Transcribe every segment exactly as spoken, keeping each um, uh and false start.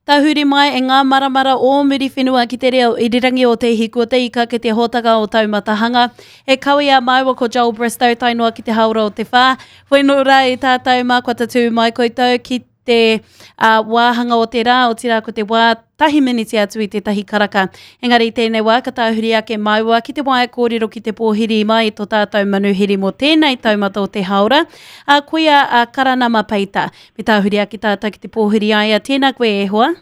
Tahuri mai e ngā maramara o Muriwhenua ki te reo irirangi o Te Hiku o Te Ika ki te hōtaka o Taumatahanga. E kawe a māua ko Joel Bristow tae noa ki te haora o te whā. Whenua rā e tātou mā kua tatū mai koutou ki te uh, wāhanga o te rā, otirā ko te wā tahi miniti atu i tētahi karaka. Engari tēnei wā ka tāhuri ake māua ki te waea kōrero ki te pōhiri mai tō tātou manuhiri mō tēnei taumata o te haora, a koia a Karanama Peita. Me tāhuri ake tātou ki te pōhiri aia, tēnā koe e hoa.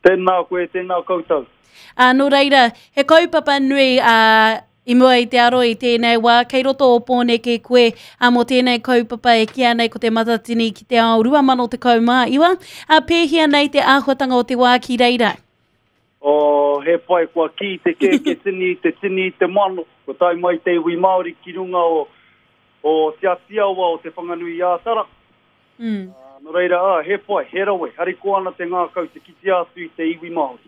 Tēnā koe, tēnā koutou. Ā, nō reira, he kaupapa nui a, i mua i te aro i tēnei wā, kei roto o Pōneke koe a, mō tēnei kaupapa e kīa nei ko te Matatini ki te ao rua mano tekau mā iwa. A, pēhea nei te āhuatanga o te wā ki reira? Oh, he pai, kua ki te kēke tini, te tini, te mano. Ko tae mai te iwi Māori ki runga o, o Te Atiawa o Te Whanganui-ā-Tara. Mm. Uh, nō reira, ah, he pai, he rawe, hariko ana te ngākau te kitea atu i te iwi Māori.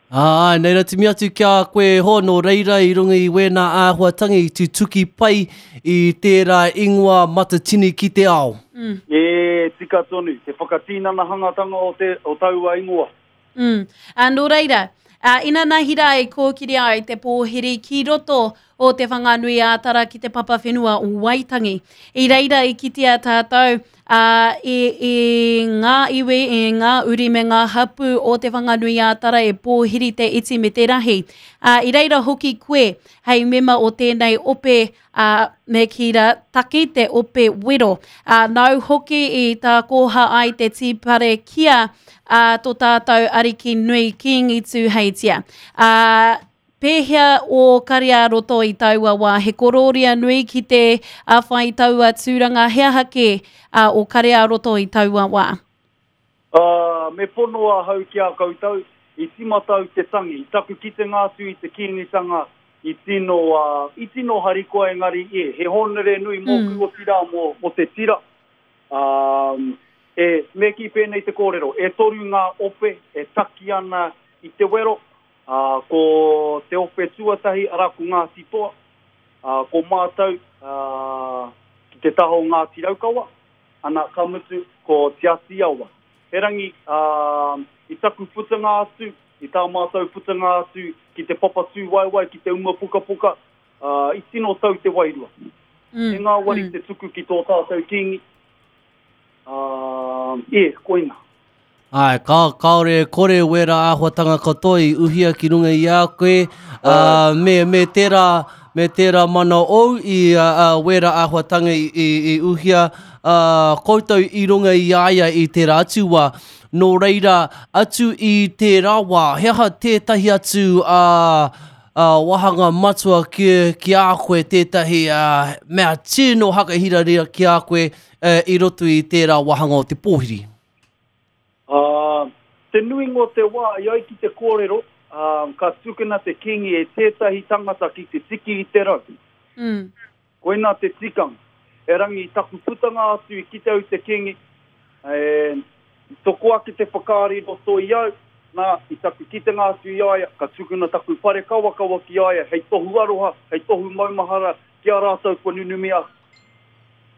Ā, nei rā timi atu ki a koe ho, nō reira i runga i wēnā āhuatanga i tutuki pai i tērā ingoa Matatini ki te ao. Mm. E, tika tonu, te whakatinanahangatanga o, te, o taua ingoa. Mm. Ā, nō reira, ā, inanahi rā i kōkiri ai te pōhiri ki roto o Te Whanganui-ā-Tara ki te papa whenua o Waitangi. I reira i kitea tātou ā, i, i ngā iwi, i ngā uri me ngā hapū o Te Whanganui-ā-Tara e pōhiri te iti me te rahi. Ā, i reira hoki koe hei mema o tēnei ope ā, me kī rā, taki te ope wero. Ā, nāu hoki i tā kōha ai te tīpare kia ā, tō tātou ariki nui Kīngi Tūheitia. Ā, pēhea o kare ā-roto i taua wā? He korōria nui ki te a whai taua tūranga, he aha kē a, o kare ā-roto i taua wā? Uh, me pono ahau ki a koutou, i tīmata au te tangi, i taku kitenga atu i te kīngitanga, i tino, uh, i tino harikoa engari, e, he hōnore nui mōku Mm. otirā mō, mō te tira. Um, e, me kī pēnei te kōrero, e toru ngā ope e taki ana i te wero, uh, ko te ope tuatahi, arā ko Ngāti Toa, uh, ko mātou uh, ki te taha o Ngāti Raukawa, ana ka mutu ko Te Atiawa. Erangi, uh, i taku putanga atu, i tā mātou putanga atu ki te papatūwaewae, ki te uma pukapuka, uh, i tino tau te wairua. Mm. E ngāwari Mm. te tuku ki tō tātou kīngi. Uh, e, koina. Ai, ka, kāore e kore wera āhuatanga katoa i uhia ki runga i a koe, uh, me, me tērā, me tērā mana ou i uh, uh, wera āhuatanga i, i, i uhia uh, koutou i runga i a ia i tērā atu wā. Nō reira, atu i tērā wā, he aha tētahi atu uh, uh, wāhanga matua ki, ki a koe, tētahi uh, mea tino hakahirarira ki a koe uh, i roto i tērā wāhanga o te pōhiri? Uh, te nuinga o te wā, i ai ki te kōrero, uh, ka tukuna te kīngi e tētahi tangata ki te tiki i te rau. Mm. Koina te tikanga. Erangi, i taku putanga atu i kite au te kīngi, e, i toko ake te whakaari roto i au, nā, i taku kitenga atu i a ia, ka tukuna taku whare kawakawa ki a ia, hei tohu aroha, hei tohu maumahara, ki a rātou kua nunumi ake.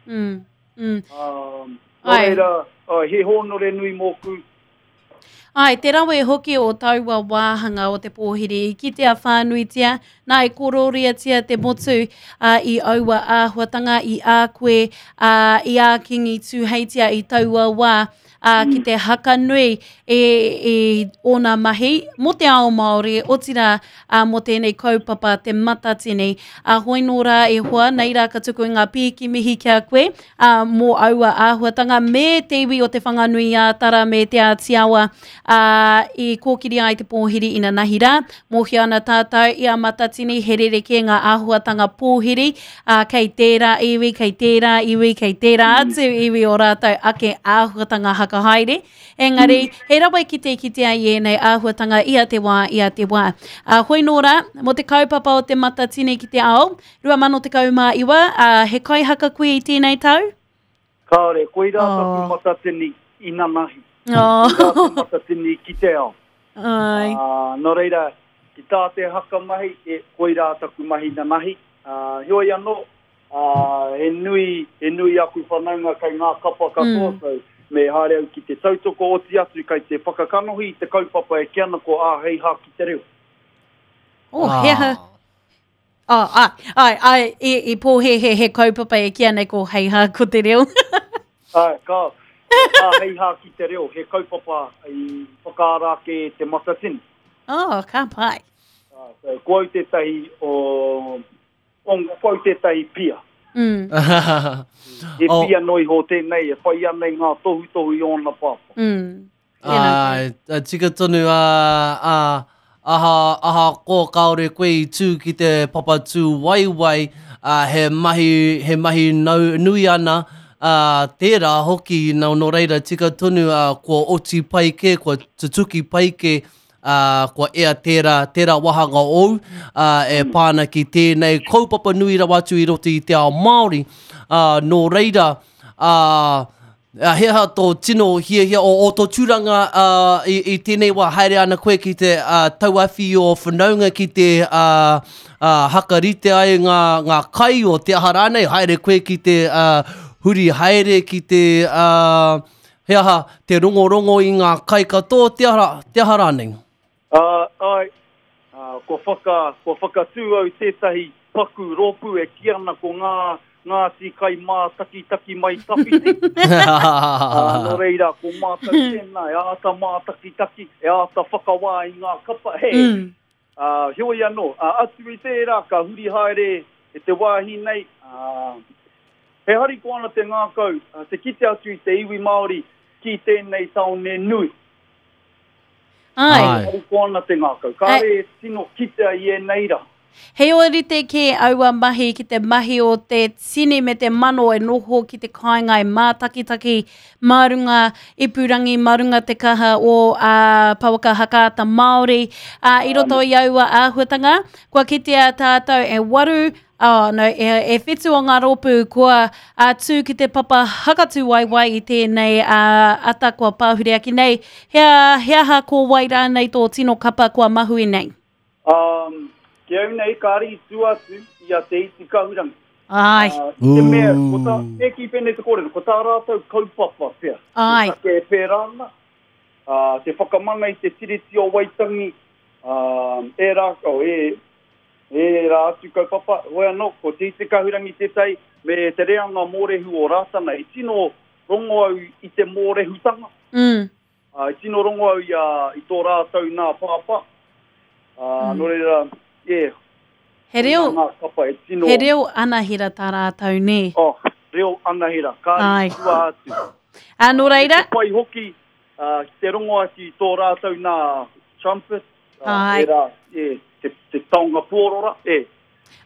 Mm. Mm. Um, nō Ai. reira, uh, he hōnore nui mōku. Ai, te rawe hoki o taua wāhanga o te pōhiri i kitea whānuitia, nā e korōriatia te motu uh, i aua āhuatanga, i a koe, uh, i a Kīngi Tūheitia i taua wā, uh, ki te haka nui e, e ōna mahi mō te ao Māori, otirā uh, mō tēnei kaupapa te Matatini. Uh, hoi nō rā e hoa, nei rā ka tuku i ngā pīki mihi ki a koe uh, mō aua āhuatanga me te iwi o Te Whanganui-ā-Tara me Te Atiawa uh, i kōkiri ai te pōhiri inanahi rā. Mōhio ana tātou i a Matatini he rerekē ngā āhuatanga pōhiri, uh, kei tērā iwi, kei tērā iwi, kei tērā atu iwi o rātou ake āhuatanga hakahaere. Engari, he rawe ki te kitea i ēnei āhuatanga ia te wā, ia te wā. Uh, hoi nō rā, mō te kaupapa o te Matatini ki te ao, rua mano tekau mā iwa, uh, he kaihaka koe i tēnei tau? Kāore, koirā Oh. taku Matatini inanahi. Oh. Koirā te Matatini ki te ao. Ai. Uh, nō reira, ki tā te haka mahi, e, koirā taku mahi nanahi. Uh, heoi anō, uh, he nui, he nui aku whanaunga kei ngā kapa katoa, Mm. so, me haere au ki te tautoko oti atu kai te whakakanohi i te kaupapa e kī ana ko Āhei Hā ki te reo. Oh, he aha. Oh, ai, ai, ai, i, i pōhehe he kaupapa e kī ana ko Hei Hā ko te reo. Ai, ka, Āhei Hā ki te reo, he kaupapa i whakaara ake e Te Matatini. Oh, ka pai. Ah, so, ko au tētahi o, o, ko au tētahi pia. Mm. He Oh. pia no iho tēnei, e whai ana i ngā tohutohu i ōna pāpā. Mm. Tēnā Ai, a tika tonu a, a, aha, aha ko kāore koe i tū ki te papatū waiwai, a, he mahi, he mahi nau, nui ana, a, tērā hoki, nā, nō reira tika tonu a, kua oti pai kē, kua tutuki pai kē, a, kua ea tērā, tērā wāhanga ou, a, e pāna ki tēnei kaupapa nui rawa atu i roto i te ao Māori. A, nō reira, a, a, he aha tō tino hiahia o, o tō tūranga a, i, i tēnei wā haere ana koe ki te a, tauawhi o whanaunga ki te a, a, hakarite ai ngā, ngā kai o te aha rānei, haere koe ki te a, huri haere ki te a, he aha, te rongorongo i ngā kai katoa, te aha, te aha rānei. Uh, ai, uh, kua, whaka, kua whakatū au tētahi paku rōpū e kī ana ko ngā Ngāti kai mātakitaki mai tawhiti. Uh, nō reira, ko mātou tēnā, e āta mātakitaki, e āta whakawā i ngā kapa. He, Mm. uh, heoi anō, uh, atu i tērā, ka huri haere e te wāhi nei. Uh, he hariko ana te ngākau, uh, te kite atu i te iwi Māori ki tēnei taone nui. Ai. Ai. Hariko ana te ngākau. Kāre e tino kitea i ēnei rā. He ōrite kē aua mahi ki te mahi o te tini me te mano e noho ki te kāinga e mātakitaki mā runga ipurangi, mā runga te kaha o uh, Pouaka Whakaata Māori. Uh, i roto i aua āhuatanga, kua kitea tātou e waru, oh, no, e, e whitu o ngā rōpū kua uh, tū ki te papa hakatū waiwai i tēnei uh, ata kua pāhure ake nei. He, he aha ko wai rānei tō tino kapa kua mahue nei? Um, ki au nei, kāre i tū atu i a Te Iti Kahurangi. Ai, Uh, i te mea, ko tā, e ki pēnei te kōrero, ko tā rātou kaupapa pea. ai. Te take e pērā ana, uh, te whakamana i te Tiriti o Waitangi, uh, e rā, oh, e, e rā atu kaupapa, hoi anō, ko Te Iti Kahurangi tētahi, me te reanga mōrehu o Rātana, i tino rongo au i te mōrehutanga, Mm. uh, i tino rongo au i, a, i tō rātou nā pāpā. Uh, mm. Nō reira, e, He reo, ngā kapa e tino... he reo anahera tā rātou, nē. Oh, reo anahera, ka Ai. i tua atu. Ā, nō reira, Te pai hoki uh, ki te rongo atu i tō rātou nā trumpet, uh, Ai. e rā, e, te, te taonga pōrora, e.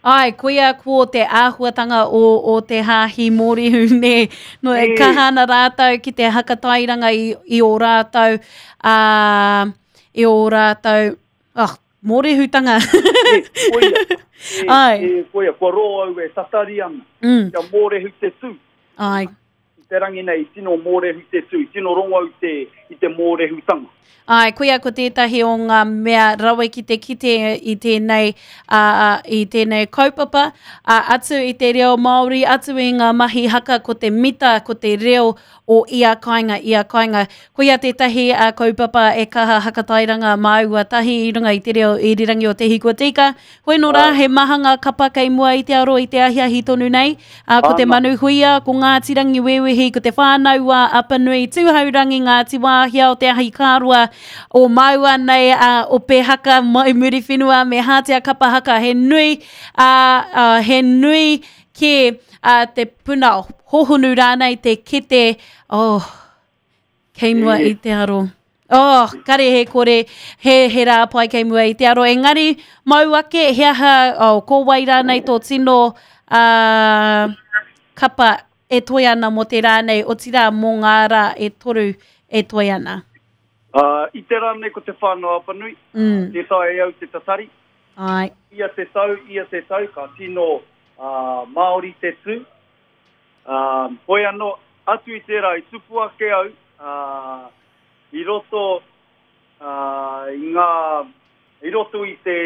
ai, koia ko te āhuatanga o, o te hāhi mōrehu, nē. No, e Nē. kaha ana rātou ki te hakatairanga i, i o rātou, ā, i o rātou, oh, mōrehutanga. E, koia, e, Ai. e, koia, kua rō au e tatari ana, Mm, kia mōrehu te tū. ai. I te rangi nei, tino mōrehu te tū, tino rongo au te, i te mōrehutanga. Ai, koia ko tētahi o ngā mea rawe ki te kite i tēnei, uh, i tēnei kaupapa, uh, atu i te reo Māori, atu i ngā mahi haka, ko te mita, ko te reo o ia kāinga, ia kāinga. Koia tētahi uh, kaupapa e kaha hakatairanga māua tahi i runga i te reo irirangi o Te Hiku o Te Ika. Hoi nō rā, he maha ngā kapa kei mua i te aro i te ahiahi tonu nei. Uh, ko te Ana. Manu Huia, ko Ngāti Rangiwewehi, ko te Whānau a Apanui, Tūhourangi, Ngāti Wāhia o Te Ahi Kāroa, o Maua nei, uh, o Pehaka, mai Muriwhenua, me Hātea Kapa Haka. He nui, uh, uh, he nui ke uh, te puna hohonu rānei, te kete, oh, kei mua E. i te aro. Oh, kare he kore, he, he rā pai kei mua i te aro. Engari, mau ake, he aha, oh, ko wai rānei tō tino uh, kapa e toe ana mō te rā nei, otirā mō ngā rā e toru e toe ana. Uh, I te rā nei ko te Whānau Apanui, Mm. tē taea e au te tatari, Ai. ia te tau, ia te tau, ka tino uh, Māori te tū. Uh, hoi anō, atu i tērā, i tupu ake au, uh, i roto uh, i ngā, i roto i te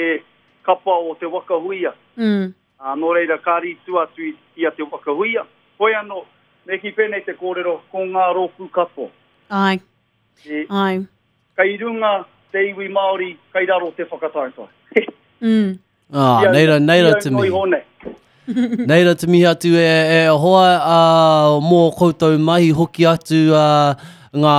kapa o te Waka Huia. Mm. Uh, nō reira, ka ri tu atu i, i a te Waka Huia. Hoi anō, Me kī pēnei te kōrero, ko ngā rōpū katoa. Ai. E, Ai. Kei runga te iwi Māori, kei raro te whakataetae. Mm. Ah, Ia- nei rā, nei rā ia te noa mihi. iho nei. Nei rā te mihi atu e, e hoa uh, mō koutou mahi hoki atu uh, ngā,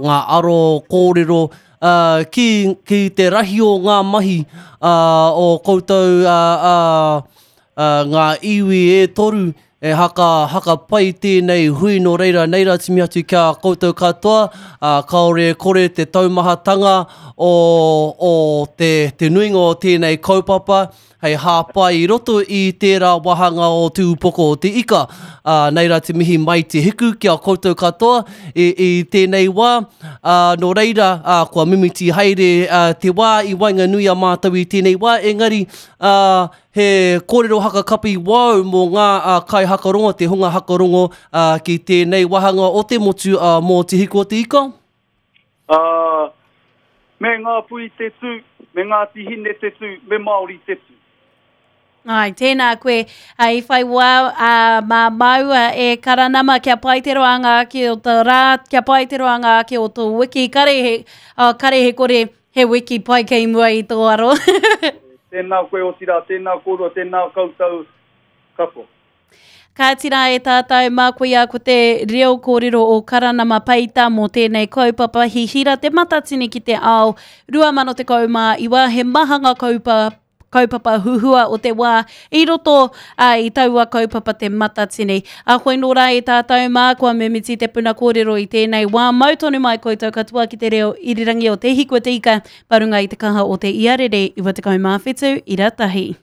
ngā aro kōrero uh, ki, ki te rahi o ngā mahi uh, o koutou uh, uh, uh, ngā iwi e toru e haka, haka pai tēnei hui nō reira nei rā te mihi atu kia koutou katoa uh, kāore e kore te taumahatanga o, o te, te nuinga o tēnei kaupapa hei hāpai i roto i tērā wāhanga o Te Upoko o Te Ika. Uh, nei rā te mihi mai te hiku ki a koutou katoa i, i tēnei wā. Uh, nō reira, uh, kua mimiti haere uh, te wā i waenganui a mātou i tēnei wā, engari uh, he kōrero hakakapi wau mō ngā uh, kai hakarongo, te hunga hakarongo uh, ki tēnei wāhanga o te motu uh, mō Te Hiku o Te Ika. Uh, me ngā pui te tū, me Ngāti Hine te tū, me Māori te tū. Ai, tēnā koe, uh, i whai wā uh, mā maua e karanama kia pai te roanga ake o tō rā, kia pai te roanga ake o tō wiki, kare he, uh, kare he kore he wiki pai kei mua i tō aro. Tēnā koe otirā, tēnā kōrua, tēnā koutou katoa. Ka tira e tātou mā koia ko te reo kōrero o Karanama Peita mō tēnei kaupapa hihira te matatini ki te ao rua mano tekau mā iwa he mahanga kaupa, kaupapa huhua o te wā i roto uh, i taua kaupapa te matatini. A hoi nō rā e tātou mā kua mimiti te puna kōrero i tēnei wā mau tonu mai koutou katoa ki te reo irirangi o Te Hiku o Te Ika parunga i te kaha o te iarere iwa tekau mā whitu ira tahi.